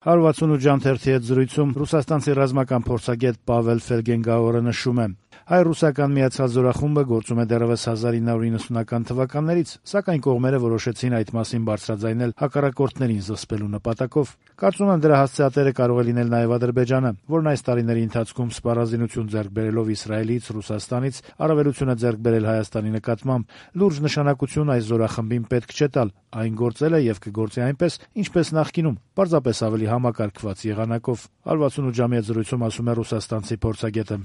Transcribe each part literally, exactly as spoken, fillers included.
հարյուրվաթսունութ ժամ թերթի հետ զրույցում ռուսաստանցի ռազմական փորձագետ Պավել Ֆելգենգաուերը նշում է. հայ-ռուսական միացած զորախումբը գործում է դեռևս հազար ինը հարյուր նվաթսունական թվականներից, սակայն կողմերը որոշեցին այդ մասին բարձրաձայնել հակառակորդներին զսպելու նպատակով։ Կարծում եմ, դրա հասցեատերը կարող է լինել նաև Ադրբեջանը, որն այս տարիների ընթացքում սպառազինություն ձեռք բերելով Իսրայելից, Ռուսաստանից, առավելություն է ձեռք բերել Հայաստանի նկատմամբ։ Լուրջ նշանակություն այս զորախմբին պետք չէ տալ, այն գործել է եւ կգործի այնպես, ինչպես նախկինում, պարզապես ավելի համակարգված եղանակով։ հարյուրվաթսունութ ժամի հետ զրույցում ասում է ռուսաստանցի փորձագետը։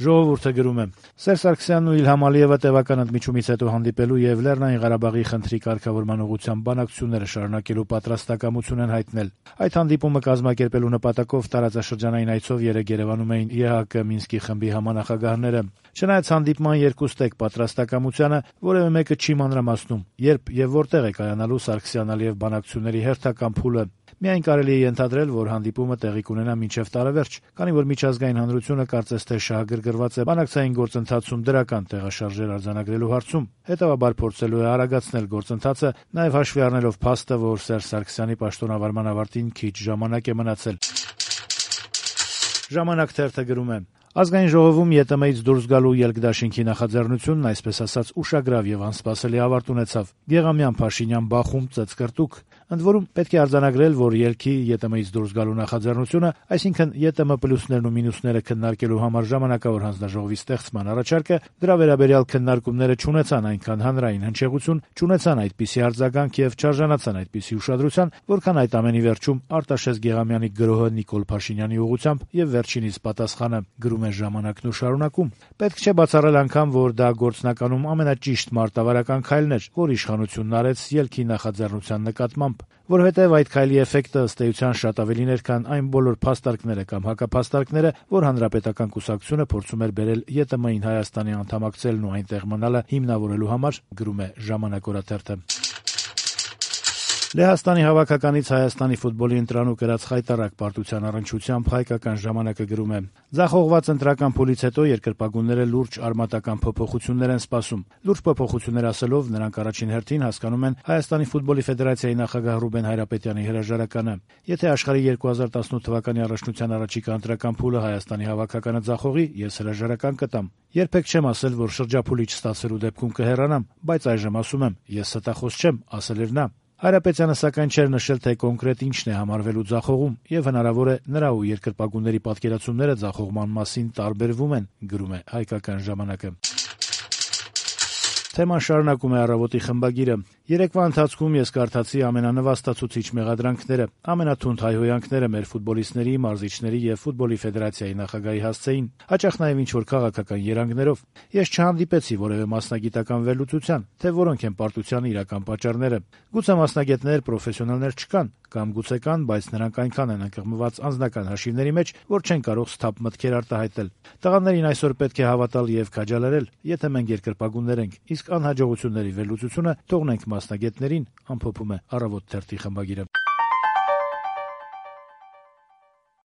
Ժողովուրդը գրում է. Սերժ Սարգսյանն ու Իլհամ Ալիևը տևական ընդմիջումից հետո հանդիպելու եւ Լեռնային Ղարաբաղի խնդրի կարգավորման ուղղությամբ բանակցությունները շարունակելու պատրաստակամություն են հայտնել։ Այդ հանդիպումը կազմակերպելու նպատակով տարածաշրջանային այցով երեկ Երևանում էին Է Հ Կ Մինսկի խմբի համանախագահները։ Չնայած հանդիպման երկուստեք պատրաստակամությանը, որևէ մեկը չի մանրամասնում, երբ եւ որտեղ է կայանալու Սարգսյան-Ալիև բանակցությունների հերթական փուլը։ Միայն կարելի է ենթադրել, որ հանդիպումը տեղի կունենա մինչև տարեվերջ, քանի որ միջազգային հանրությունը կարծես թե շահագրգռված է բանակցային գործընթացում դրական տեղաշարժեր արձանագրելու հարցում, հետևաբար փորձելու է արագացնել գործընթացը, նաև հաշվի առնելով փաստը, որ Սերժ Սարգսյանի պաշտոնավարման ավարտին քիչ ժամանակ է մնացել։ Ժամանակ թերթը գրում է. Ազգային ժողովում Ե Տ Մ-ից դուրս գալու ելքդաշինքի նախաձեռնությունն այսպես ասած ուշագրավ եւ անսպասելի ավարտ ունեցավ։ Գեղամյան Փաշինյան բախում ծծկրտուկ։ Ընդ որում պետք է արձանագրել, որ ելքի Ե Տ Մ-ից դուրս գալու նախաձեռնությունը, այսինքն Ե Տ Մ պլյուսներն ու մինուսները քննարկելու համար ժամանակավոր հանձնաժողովի ստեղծման առաջարկը, դրա վերաբերյալ քննարկումները չունեցան այնքան հանրային հնչեղություն, չունեցան այդպիսի արձագանք եւ չարժանացան այդպիսի ուշադրության, որքան այդ ամենի վերջում Արտաշես Գեղամյանի գրոհը Նիկոլ Փաշինյանի ուղղությամբ եւ վերջինիս պատասխանը։ Գրում է Ժամանակն ու շարունակում. Պետք չէ բացառել անգամ, որ դա գործնականում ամենաճիշտ մարտավարական քայլն էր, որ իշխանությունն արեց ելքի նախաձեռնության նկատմամբ, որովհետև այդ քայլի էֆեկտը ըստ էության շատ ավելին էր, քան այն բոլոր փաստարկները կամ հակափաստարկները, որ հանրապետական կուսակցությունը փորձում էր բերել Ե Տ Մ-ին Հայաստանի անդամակցելն ու այնտեղ մնալը հիմնավորելու համար, գրում է Ժամանակ օրաթերթը։ Լեհաստանի հավաքականից Հայաստանի ֆուտբոլի ընտրանուկ գրած խայտառակ պարտության առնչությամբ հայկական ժամանակը գրում է. Ձախողված ընտրական փուլից հետո երկրպագունները լուրջ արմատական փոփոխություններ են սպասում։ Լուրջ փոփոխություններ ասելով նրանք առաջին հերթին հասկանում են Հայաստանի ֆուտբոլի ֆեդերացիայի նախագահ Ռուբեն Հայրապետյանի հրաժարականը։ Եթե աշխարհի երկու հազար տասնութ թվականի առաջնության առաջիկա ընտրական փուլը Հայաստանի հավաքականը ձախողի, ես հրաժարական կտամ։ Երբեք չեմ ասել, որ շրջափուլի չստացվելու դեպքում կհեռանամ, բայց այժմ ասում եմ, ես ստախոս չեմ, ասել էր նա։ Հայրապետյանը սակայն չէր նշել, թե կոնկրետ ինչն է համարվելու ձախողում, եւ հնարավոր է նրա ու երկրպագունների պատկերացումները ձախողման մասին տարբերվում են, գրում է հայկական ժամանակը։ Թեման շարունակում է «Առավոտ»-ի խմբագիրը. Երեկվա ընթացքում ես կարդացի ամենանվաստացուցիչ մեղադրանքները, ամենաթունդ հայհոյանքները մեր ֆուտբոլիստների, մարզիչների եւ ֆուտբոլի ֆեդերացիայի նախագահի հասցեին, հաճախ նաեւ ինչ-որ քաղաքական երանգներով։ Ես չհանդիպեցի որևէ մասնագիտական վերլուծության, թե որոնք են պարտության իրական պատճառները։ Գուցե մասնագետներ, պրոֆեսիոնալներ չկան, կամ գուցե կան, բայց նրանք այնքան են ընկղմված անձնական հաշիվների մեջ, որ չեն կարող սթափ մտքեր արտահայտել։ Տղաներին այսօր պետք է հավատալ եւ քաջալերել, եթե մենք երկրպագուններ ենք, իսկ անհաջողությունների վերլուծությունը թողնենք մասնագետներին, ամփոփում է «Առավոտ» թերթի խմբագիրը։